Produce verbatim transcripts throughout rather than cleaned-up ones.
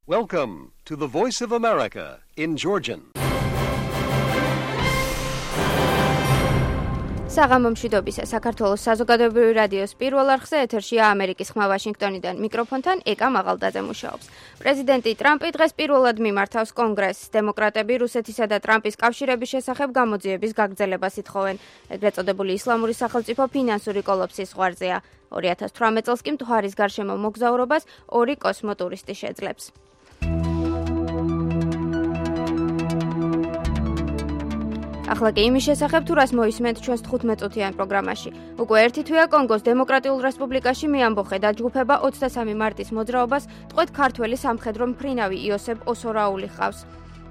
Welcome to the Voice of America in Georgian. საღამო მშვიდობისა საქართველოს საზოგადოებრივი რადიოს პირველ არხზე ეთერშია ამერიკის ხმა ვაშინგტონიდან მიკროფონთან ეკა მაღალდაძე მუშაობს. პრეზიდენტი ტრამპი დღეს პირველად მიმართავს კონგრესს. დემოკრატები რუსეთისა და ტრამპის კავშირების შესახებ გამოძიების გაგრძელებას ითხოვენ. ეგრეთ წოდებული ისლამური სახელმწიფო ფინანსური კოლაფსის ზღვარზეა. ორი ათას თვრამეტ წელს კი მთვარის გარშემო მოგზაურობას ორი კოსმოტურისტი შეძლებს. ახლა კი იმის შესახებ თუ რას მოისმენთ ჩვენს თხუთმეტ-წუთიან პროგრამაში. უკვე ერთი თვეა კონგოს დემოკრატიულ რესპუბლიკაში მიამბოხე დაჯგუფება ოცდასამი მარტის მოძრაობას ტყვედ ქართველი სამხედრო მფრინავი იოსებ ოსორაული ჰყავს.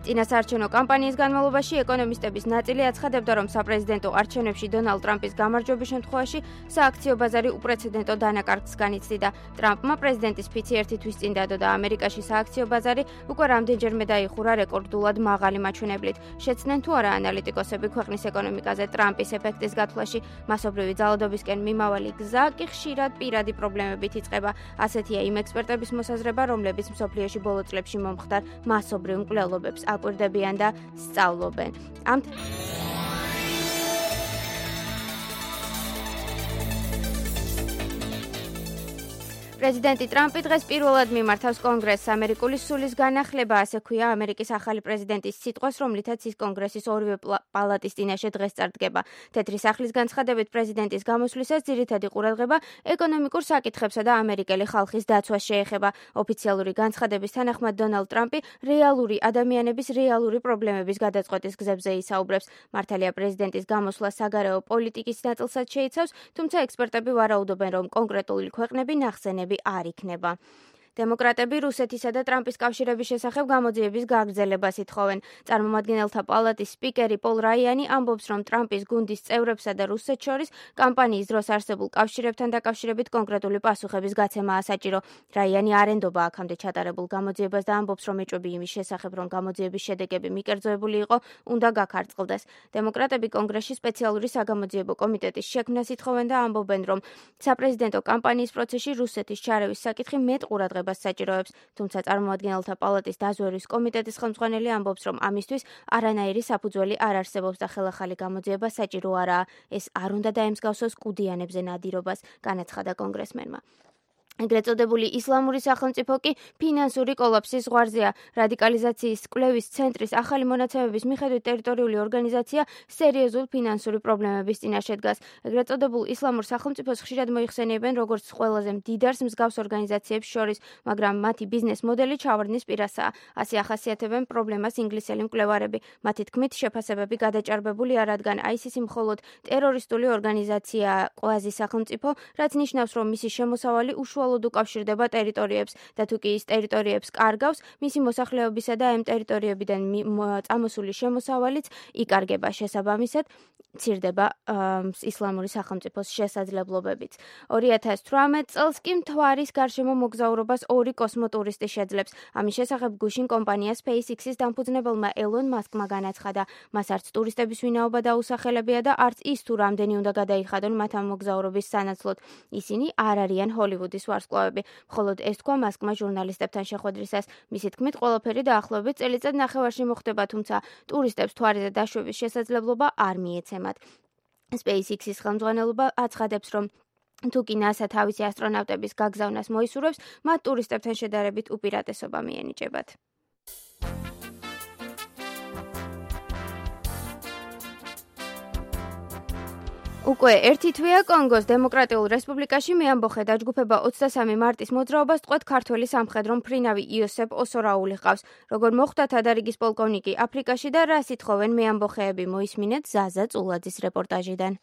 წინასაარჩევნო კამპანიის განმავლობაში ეკონომისტების ნაწილი აცხადებდა, რომ საპრეზიდენტო არჩევნებში დონალდ ტრამპის გამარჯვების შემთხვევაში სააქციო ბაზარი უპრეცედენტო დანაკარგს განიცდიდა. ტრამპმა პრეზიდენტის ფიცი ერთი თვის წინ დადო და ამერიკაში სააქციო ბაზარი უკვე რამდენჯერმე დაიხურა რეკორდულად მაღალი მაჩვენებლით. შეცდნენ თუ არა ანალიტიკოსები ქვეყნის ეკონომიკაზე ტრამპის ეფექტის გათვლაში. მასობრივი ძალადობისკენ მიმავალი გზა კი ხშირად პირადი პრობლემებით იწყება. ასეთია იმ ექსპერტების მოსაზრება, რომლებიც მსოფლიოში ბოლო წლებში მომხდარ მასობრივ მკვლელობებს აკვირდებიან და სწავლობენ. ამ პრეზიდენტი ტრამპი დღეს პირველად მიმართავს კონგრესს. ამერიკული სულის განახლება, ასე ქვია ამერიკის ახალი პრეზიდენტის სიტყვას, რომლითაც ის კონგრესის ორივე პალატის წინაშე დღეს წარდგება. თეთრი სახლის განცხადებით პრეზიდენტის გამოსვლისას ძირითადი ყურადღება ეკონომიკურ საკითხებსა და ამერიკელი ხალხის დაცვას შეეხება. ოფიციალური განცხადების თანახმად დონალდ ტრამპი რეალური ადამიანების რეალური პრობლემების გადაწყვეტის გზებზე ისაუბრებს. მართალია პრეზიდენტის გამოსვლა საგარეო პოლიტიკის ნაწილსაც შეიცავს, თუმცა ექსპერტები ვარაუდობენ, რომ კონკრეტული ქვეყნები ნახსენები არ იქნება. დემოკრატები რუსეთისა და ტრამპის კავშირების შესახებ გამოძიების გაგრძელებას ითხოვენ. წარმომადგენელთა პალატის სპიკერი პოლ რაიანი ამბობს, რომ ტრამპის გუნდის წევრებსა და რუსეთს შორის კამპანიის დროს არსებულ კავშირებთან დაკავშირებით კონკრეტული პასუხების გაცემაა საჭირო. რაიანი არ ენდობა აქამდე ჩატარებულ გამოძიებას და ამბობს, რომ ეჭვები იმის შესახებ, რომ გამოძიების შედეგები მიკერძოებული იყო, უნდა გაქარწყლდეს. დემოკრატები კონგრესში სპეციალური საგამოძიებო კომიტეტის შექმნას ითხოვენ და ამბობენ, რომ საპრეზიდენტო კამპანიის პროცესში რუსეთის ჩარევის საკითხი მეტ ყურადღებას საჭიროებს, თუმცა წარმომადგენელთა პალატის დაზვერვის კომიტეტის ხელმძღვანელი ამბობს, რომ ამისთვის არანაირი საფუძველი არ არსებობს და ხელახალი გამოძიება საჭირო არაა. ეს არ უნდა დაემსგავსოს კუდიანებზე ნადირობას, განაცხადა კონგრესმენმა. ეგრეთ წოდებული ისლამური სახელმწიფო კი ფინანსური კოლაფსის ზღვარზეა. რადიკალიზაციის კვლევის ცენტრის ახალი მონაცემების მიხედვით ტერიტორიული ორგანიზაცია სერიოზულ ფინანსური პრობლემების წინაშე დგას. ეგრეთ წოდებულ ისლამურ სახელმწიფოს ხშირად მოიხსენიებენ როგორც ყველაზე მდიდარს მსგავს ორგანიზაციებს შორის, მაგრამ მათი ბიზნეს მოდელი ჩავარდნის პირასაა. ასე ახასიათებენ პრობლემას ინგლისელი მკვლევარები. მათი თქმით, შეფასებები გადაჭარბებულია, რადგან აისისი მხოლოდ ტერორისტული ორგანიზაცია ყვაზი სახელმწიფო, რაც ნიშნავს, რომ მისი შემოსავალი უშუალოდ უკავშირდება ტერიტორიებს და თუ კი ის ტერიტორიებს კარგავს, მისი მოსახლეობისა და ამ ტერიტორიებიდან წამოსული შემოსავალიც იკარგება. შესაბამისად, მცირდება ისლამური სახელმწიფოს შესაძლებლობებიც. ორი ათას თვრამეტ წელს კი მთვარის გარშემო მოგზაურობას ორი კოსმოტურისტი შეძლებს. ამის შესახებ გუშინ კომპანია SpaceX-ის დამფუძნებელმა ელონ მასკმა განაცხადა, მას არც ტურისტების ვინაობა დაუსახელებია და არც ის თუ რამდენი უნდა გადაიხადონ მათ ამ მოგზაურობის სანაცვლოდ. ისინი არ არიან ჰოლივუდის ვარსკვლავები. მხოლოდ ეს თქვა მასკმა ჟურნალისტებთან შეხვედრისას. მისი თქმით, ყველაფერი დაახლოებით წელიწად ნახევარში მოხდება, თუმცა ტურისტებს მთვარეზე დაშვების შესაძლებლობა არ მიეცემათ. SpaceX-ის ხელმძღვანელობა აცხადებს, რომ თუ კი NASA თავისი ასტრონავტების გაგზავნას მოისურვებს, მათ ტურისტებთან შედარებით უპირატესობა მიენიჭებათ. უკვე ერთი თვეა კონგოს დემოკრატიულ რესპუბლიკაში მიამბოხე დაჯგუფება ოცდასამი მარტის მოძრაობას ტყვედ ქართველი სამხედრო მფრინავი იოსებ ოსორაული ჰყავს. როგორ მოხვდა თადარიგის პოლკოვნიკი აფრიკაში და რას ითხოვენ მეამბოხეები, მოისმინეთ ზაზა წულაძის რეპორტაჟიდან.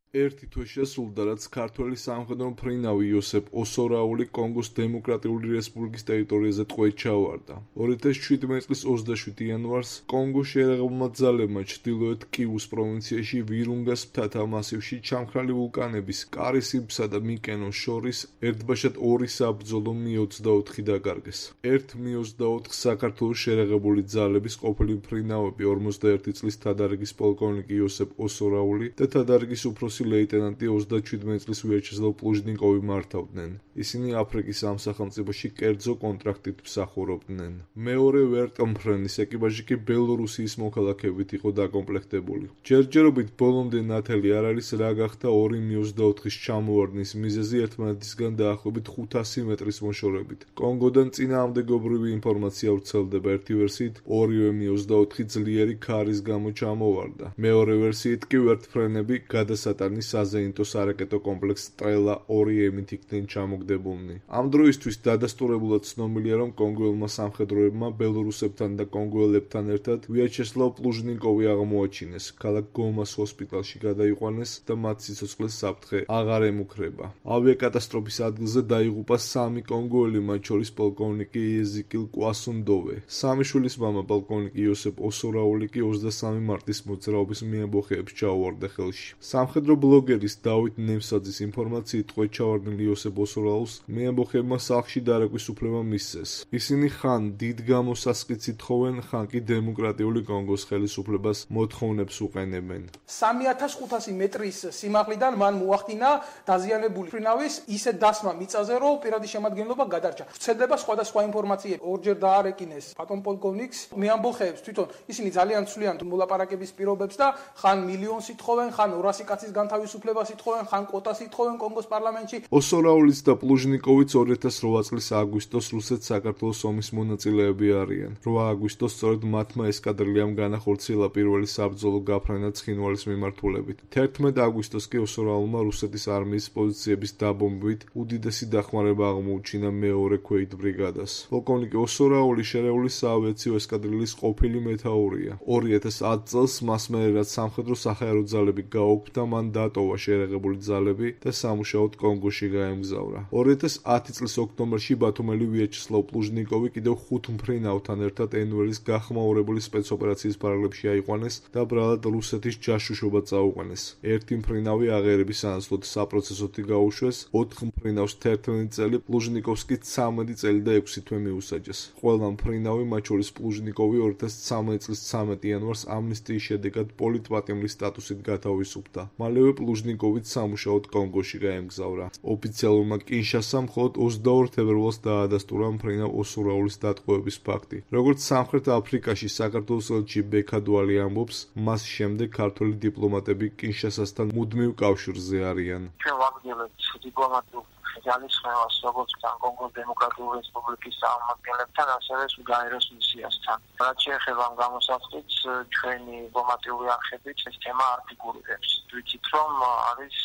ერთი თვე შესრულდა, რაც ქართველი სამხედრო მფრინავი იოსებ ოსორაული კონგოს დემოკრატიული რესპუბლიკის ტერიტორიაზე ტყვედ ჩავარდა. ორი ათას შვიდმეტ წლის ოცდაშვიდი იანვარს კონგოს შეიარაღებულმა ძალებმა ჩრდილოეთ კივუს პროვინციაში ვირუნგას მთათა მასივში ჩამქრალი ვულკანების კარისიბსა და მიკენოს შორის ერთბაშად ორი საბრძოლო მი ოცდაოთხი დაკარგეს. ერთ მი ოცდაოთხ საქართველოს შეიარაღებული ძალების ყოფილი მფრინავები ორმოცდაერთი წლის თადარიგის პოლკოვნიკი იოსებ ოსორაული და თადარიგის უფროსი რუსი ლეიტენანტი ოცდაშვიდი წლის ვიაჩესლავ პლუჟნიკოვი მართავდნენ. ისინი აფრიკის ამ სახელმწიფოში კერძო კონტრაქტით მსახურობდნენ. მეორე ვერტმფრენის ეკიპაჟი კი ბელორუსიის მოქალაქეებით იყო დაკომპლექტებული. ჯერჯერობით ბოლომდე ნათელი არ არის რა გახდა ორი მი ოცდაოთხის ჩამოვარდნის მიზეზი ერთმანეთისგან დაახლოებით ხუთასი მეტრის მოშორებით. კონგოდან წინააღმდეგობრივი ინფორმაცია ვრცელდება. ერთი ვერსიით ორივე მი ოცდაოთხი ძლიერი ქარის გამო ჩამოვარდა. მეორე ვერსიით კი ვერტმფრენები გადასატანის საზეინტო სარაკეტო კომპლექს სტრელა ორი ემით იქნენ ჩამოგდებულნი. ამ დროისთვის დადასტურებულად ცნობილია, რომ კონგოელმა სამხედროებმა ბელორუსებთან და კონგოელებთან ერთად ვიაჩესლავ პლუჟნიკოვი აღმოაჩინეს. ქალაქ გომას ჰოსპიტალში გადაიყვანეს და მათ სიცოცხლეს საფრთხე აღარ ემუქრება. ავიაკატასტროფის ადგილზე დაიღუპა სამი კონგოელი, მათ შორის პოლკოვნიკი იეზიკილ კვასუნდოვე. სამი შვილის მამა პოლკოვნიკი იოსებ ოსორაული კი ოცდასამი მარტის მოძრაობის მიემბოხეებს ჩაუვარდა ხელში. სამხედრო ბლოგერის დავით ნემსაძის ინფორმაციით ტყვედ ჩავარდნილ იოსებ ოსორაულს მიემბოხეებმა სახლში დარეკვის უფლება მისცეს. ისინი ხან დიდ გამოსასყიდს ითხოვენ, ხან კი დემოკრატიული კონგოს ხელისუფლებას მოთხოვნებს უყენებენ. სამი ათას ხუთასი მეტრის სიმაღლიდან მან მოახდინა დაზიანებული ფრინავის ისეთ დასმა მიწაზე, რომ პირადი შემადგენლობა გადარჩა. ვრცელდება სხვადასხვა ინფორმაციები. ორჯერ დაარეკინეს ბატონ პოლკოვნიკს, მეამბოხეებს თვითონ ისინი ძალიან ცვლიან მოლაპარაკების პირობებს და ხან მილიონს ითხოვენ, ხან ორასი კაცის განთავისუფლებას ითხოვენ, ხან კვოტას ითხოვენ კონგოს პარლამენტში. ოსორაულის და პლუჟნიკოვიც ორი ათას რვა წლის აგვისტოს რუსეთ-საქართველოს ომის მონაწილეები არიან. რვა აგვისტოს სწორედ მათმა ესკადრიამ განახორციელა პირველი საბრძოლო გაფრენა ცხინვალის მიმართულებით. თერთმეტ აგვისტოს კი ოსორაულმა რუსეთის არმიის პოზიციების დაბომბვით უდიდესი დახმარება აღმოუჩინა მეორე ქვეით ბრიგადას. პოლკოვნიკი ოსორაული შერეული საავიაციო ესკადრილის ყოფილი მეთაურია. ორი ათას ათ წელს მას მერე რაც სამხედრო საჰაერო ძალები გაუქმდა, მან დატოვა შერეღებული ძალები და სამუშაოდ კონგოში გაემგზავრა. ორი ათას ათი წლის ოქტომბერში ბათუმელი ვიაჩესლავ პლუჟნიკოვი კიდევ ხუთ მფრინავთან ერთად ენვერის გახმაურებული სპეცოპერაციის პარალელში აიყვანეს და ბრალად რუსეთის ჯაშუშობა წაუყვანეს. ერთი მფრინავი აღერების სანაცვლოდ საპროცესოთი გაუშვეს, ოთხ მფრინავს თერთმეტი წელი, პლუჟნიკოვს კი ცამეტი წელი და ექვსი თვე მიუსაჯეს. ყველა მფრინავი, მათ შორის პლუჟნიკოვი ორი ათას ცამეტი წლის ცამეტი იანვარს ამნისტიის შედეგად პოლიტპატიმრის სტატუსით გათავისუფლდა. მალევე პლუჟნიკოვიც სამუშაოდ კონგოში გაემგზავრა. ოფიციალურმა კინშასამ მხოლოდ ოცდაორ თებერვალს დაადასტურა მფრინავ ოსორაულის დატყვევების ფაქტი. როგორც სამხრეთ აფრიკაში საქართველოს ელჩი ბექადვალი ამბობს, მას შემდეგ ქართველი დიპლომატები კინშასასთან მუდმივ კავშირზე არიან. ჩვენ ვაგრძელებთ დიპლომატიურ ძალისხმევას როგორც კონგოს დემოკრატიული რესპუბლიკის წარმომადგენლებთან, ასევე სუგაეროს მისიასთან. რაც შეეხება ამ გამოსახულს, ჩვენი დიპლომატიური არხებით ეს თემა არ ფიგურირებს. ვიცით, რომ არის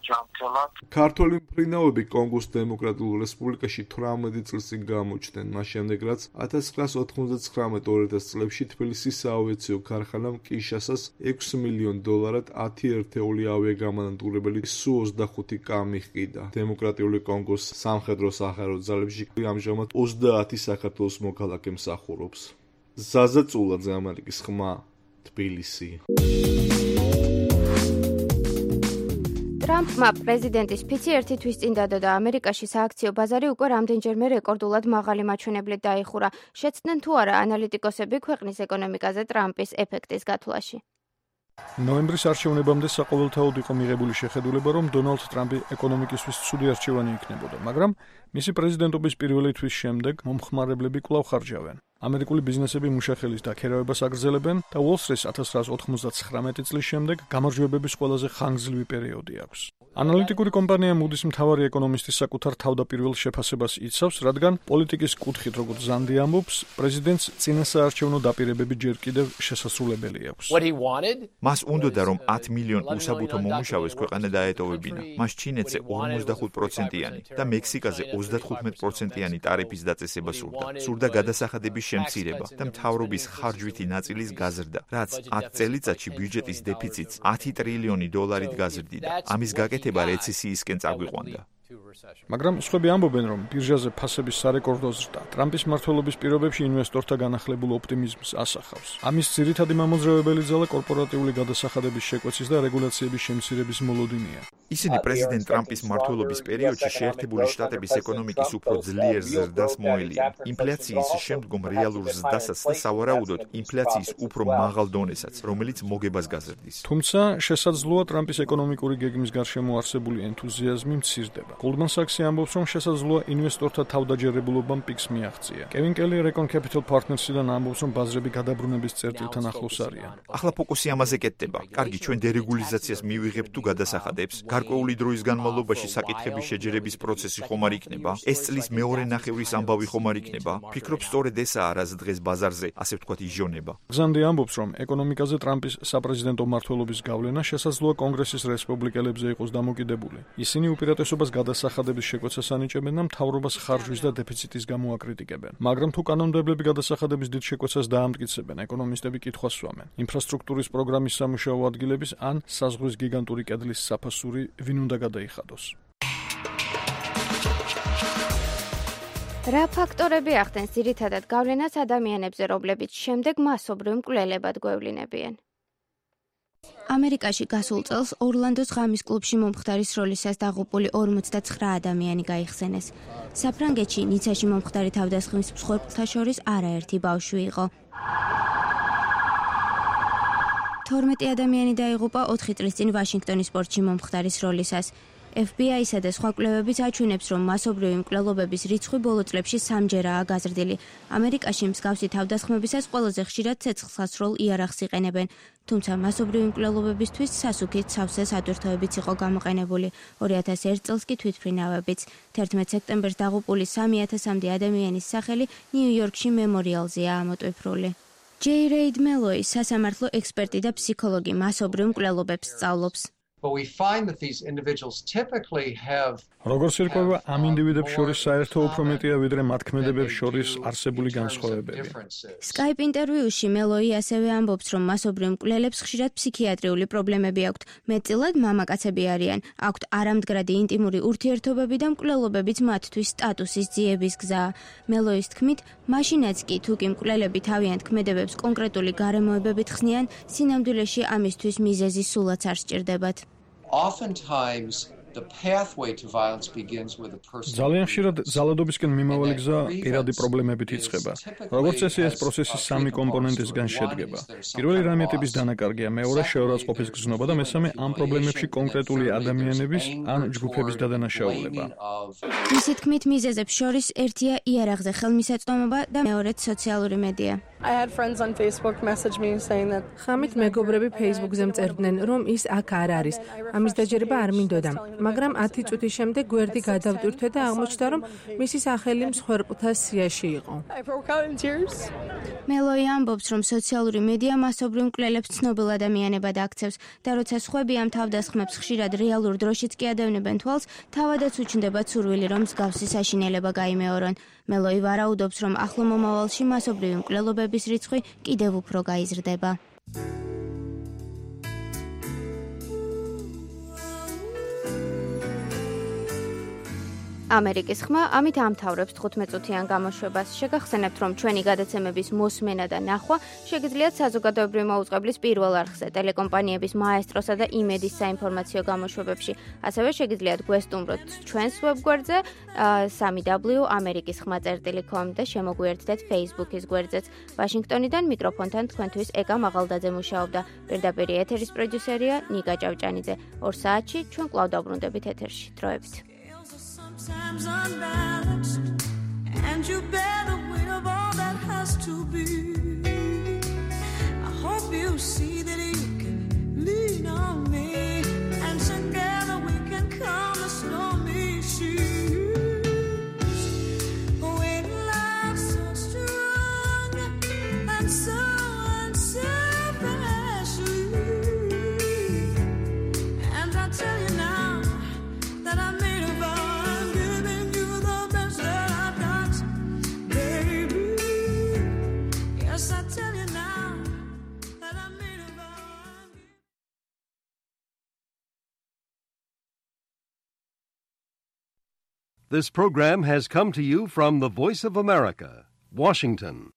ჯანმრთელად. ქართველი მფრინავები კონგოს დემოკრატიულ რესპუბლიკაში თვრამეტი წლის წინ გამოჩნდნენ, მას შემდეგ რაც ათას ცხრაას ოთხმოცდათხრამეტ ორ ათას წლებში თბილისის საავიაციო ქარხანამ კინშასას ექვსი მილიონ დოლარად ათი ერთეული ავიაგამანადგურებელი სუ ოცდახუთი კა მიჰყიდა. დემოკრატიული კონგოს სამხედრო საჰაერო ძალებში ამჟამად ოცდაათი საქართველოს მოქალაქე მსახურობს. ზაზა წულაძე, ამერიკის ხმა, თბილისი. ტრამპმა პრეზიდენტის ფიცი ერთი თვის წინ დადო და ამერიკაში სააქციო ბაზარი უკვე რამდენჯერმე რეკორდულად მაღალი მაჩვენებლით დაიხურა. შეცდნენ თუ არა ანალიტიკოსები ქვეყნის ეკონომიკაზე ტრამპის ეფექტის გათვლაში. ნოემბრის არჩევნებამდე საყოველთაოდ იყო მიღებული შეხედულება, რომ დონალდ ტრამპი ეკონომიკისთვის ცუდი არჩევანი იქნებოდა, მაგრამ მისი პრეზიდენტობის პირველი თვის შემდეგ მომხმარებლები კვლავ ხარჯავენ. ამერიკული ბიზნესები მუშახელის დაქერავებას აგრძელებენ და უოლ-სტრიტს ათას ცხრაას ოთხმოცდათხრამეტი წლის შემდეგ გამარჯვებების ყველაზე ხანგრძლივი პერიოდი აქვს. ანალიტიკური კომპანია Moody's მთავარი ეკონომისტის საკუთარ თავდაპირველ შეფასებას იცავს, რადგან პოლიტიკის კუთხით, როგორც ზანდი ამბობს, პრეზიდენტს წინასაარჩევნო დაპირებები ჯერ კიდევ შესასრულებელი აქვს. მას უნდოდა, რომ ათ მილიონ უსაბუთო მომუშავეს ქვეყანა დაეტოვებინა. მას ჩინეთზე ორმოცდახუთ პროცენტიანი და მექსიკაზე ოცდათხუთმეტ პროცენტიანი ტარიფის დაწესება სურდა. სურდა გადასახადების შემცირება და მთავრობის ხარჯვითი ნაწილის გაზრდა, რაც ათ წელიწადში ბიუჯეტის დეფიციტს ათი ტრილიონი დოლარით გაზრდიდა. ამის გაკეთება რეცესიისკენ წაგვიყვანდა. მაგრამ სხვები ამბობენ, რომ ბირჟაზე ფასების სარეკორდო ზრდა ტრამპის მმართველობის პირობებში ინვესტორთა განახლებულ ოპტიმიზმს ასახავს. ამის ძირითადი მამოძრავებელი ძალა კორპორატიული გადასახადების შეკვეცის და რეგულაციების შემცირების მოლოდინია. ისინი პრეზიდენტ ტრამპის მმართველობის პერიოდში შეერთებული შტატების ეკონომიკის უფრო ძლიერ ზრდას მოელიან. ინფლაციის შემდგომ რეალურ ზრდასაც და სავარაუდოდ ინფლაციის უფრო მაღალ დონესაც, რომელიც მოგებას გაზრდის. თუმცა შესაძლოა ტრამპის ეკონომიკური გეგმის გარშემო არსებული ენთუზიაზმი მცირდება. Goldman Sachs-ი ამბობს, რომ შესაძლოა ინვესტორთა თავდაჯერებულობამ პიკს მიაღწია. Kevin Kelly Recon Capital Partners-იდან ამბობს, რომ ბაზრები გადაბრუნების წერტილთან ახლოს არიან. ახლა ფოკუსი ამაზე კეთდება. კარგი, ჩვენ დერეგულიზაციას მივიღებთ თუ გადასახადებს. გარკვეული დროის განმავლობაში საკითხების შეჯერების პროცესი ხომ არ იქნება? ეს წლის მეორე ნახევრის ამბავი ხომ არ იქნება? ფიქრობ, სწორედ ესაა, რაც დღეს ბაზარზე, ასე ვთქვათ, ижონება. გზანდი ამბობს, რომ ეკონომიკაზე ტრამპის საპრეზიდენტო მმართველობის გავლენა შესაძლოა კონგრესის რესპუბლიკელებზე იყოს დამოკიდებული. ისინი უპირატესობას გადასახადების შეკვეცას ანიჭებენ და მთავრობას ხარჯვის და დეფიციტის გამო აკრიტიკებენ. მაგრამ თუ კანონმდებლები გადასახადების დიდ შეკვეცას დაამტკიცებენ, ეკონომისტები კითხვას სვამენ. ინფრასტრუქტურის პროგრამის სამუშაო ადგილების ან საზღვრის გიგანტური კედლის საფასური ვინ უნდა გადაიხადოს. რა ფაქტორები ახდენს ძირითადად გავლენას ადამიანებზე, რომლებიც შემდეგ მასობრივ მკვლელებად გვევლინებიან? ამერიკაში გასულ წელს ორლანდოს ღამის კლუბში მომხდარის როლისას დაღუპული ორმოცდაცხრა ადამიანი გაიხსენეს. საფრანგეთში ნიცაში მომხდარი თავდასხმის მსხვერპლთა შორის არაერთი ბავშვი იყო. თორმეტი ადამიანი დაიღუპა ოთხი წლის წინ ვაშინგტონის პორტში მომხდარის როლისას. F B I-სა და სხვა კვლევებიც აჩვენებს, რომ მასობრივი მკვლელობების რიცხვი ბოლო წლებში სამჯერაა გაზრდილი. ამერიკაში მსგავსი თავდასხმებისას ყველაზე ხშირად ცეცხლსასროლ იარაღს იყენებენ, თუმცა მასობრივი მკვლელობებისთვის სასუქით სავსე სატვირთოებიც იყო გამოყენებული. ორი ათას ერთ წელს კი თვითმფრინავებიც. თერთმეტ სექტემბერს დაღუპული სამი ათასამდე ადამიანის სახელი ნიუ-იორკში მემორიალზეა ამოტვიფრული. J. Reid Meloy, სასამართლო ექსპერტი და ფსიქოლოგი, მასობრივ მკვლელობებს სწავლობს. But we find that these individuals typically have როგორც ირკვევა, ამ ინდივიდებს შორის საერთო უფრო მეტია, ვიდრე მათ ქმედებებს შორის არსებული განსხვავებები. Skype ინტერვიუში მელოი ასევე ამბობს, რომ მასობრივ მკვლელებს ხშირად ფსიქიატრიული პრობლემები აქვთ. მეტწილად მამაკაცები არიან, აქვთ არამდგრადი ინტიმური ურთიერთობები და მკვლელობებიც მათთვის სტატუსის ძიების გზაა. მელოის თქმით, მაშინაც კი თუ კი მკვლელები თავიანთ ქმედებებს კონკრეტული გარემოებებით ხსნიან, სინამდვილეში ამისთვის მიზეზი სულაც არ სჭირდებათ. Oftentimes the pathway to violence begins with a person. ძალიან ხშირად ძალადობისკენ მიმავალი გზა პირადი პრობლემებით იწყება. როგორც წესი, ეს პროცესი სამი კომპონენტისგან შედგება. პირველი რამე ტიპის დანაკარგია, მეორე შეურაცხყოფის გზნობა და მესამე ამ პრობლემებში კონკრეტული ადამიანების ან ჯგუფების დადანაშაულება. მისი თქმით, მიზეზებს შორის ერთია იარაღზე ხელმისაწვდომობა და მეორეც სოციალური მედია. I had friends on Facebook message me saying that ხამით მეგობრები Facebook-ზე მწერდნენ, რომ ის აქ არ არის. ამის დაჯერება არ მინდოდა, მაგრამ ათი წუთის შემდეგ გვერდი გადავტვირთვე და აღმოჩნდა, რომ მისი სახელი მსხვერპლთა სიაში იყო. I broke out in tears. მელოი ამბობს, რომ სოციალური მედია მასობრივ მკვლელებს ცნობილ ადამიანებად აქცევს და როცა სხვები ამ თავდასხმებს ხშირად რეალურ დროშიც კი ადევნებენ თვალს, თავადაც უჩნდება ცურვილი, რომ მსგავსი საშინელება გაიმეორონ. მელოი ვარაუდობს, რომ ახლო მომავალში მასობრივი მკვლელობების რიცხვი კიდევ უფრო გაიზრდება. ამერიკის ხმა ამით ამთავრებს თხუთმეტ-წუთიან გამოშვებას. შეგახსენებთ, რომ ჩვენი გადაცემების მოსმენა და ნახვა შეგიძლიათ საზოგადოებრივი მოუწყებლის პირველ არხზე, ტელეკომპანიების მაესტროსა და იმედის საინფორმაციო გამოშვებებში. ასევე შეგიძლიათ გვესტუმროთ ჩვენს ვებგვერდზე სამი დაბლიუ ამერიკის ხმა წერტილი კომ და შემოგვიერთდეთ Facebook-ის გვერდზეც. ვაშინგტონიდან მიკროფონთან თქვენთვის ეკა მაღალდაძე მუშაობდა. პირდაპირ ეთერის პროდიუსერია ნიკა ჭავჭანიძე. ორ საათში ჩვენ კვლავ დაბრუნდებით ეთერში. დროებით. Sometimes unbalanced, and you bear the weight of all that has to be. I hope you see that you can lean on me, and together we can calm the stormy seas. When love's so strong and so unselfishly, and I tell you now that I made a vow. This program has come to you from the Voice of America, Washington.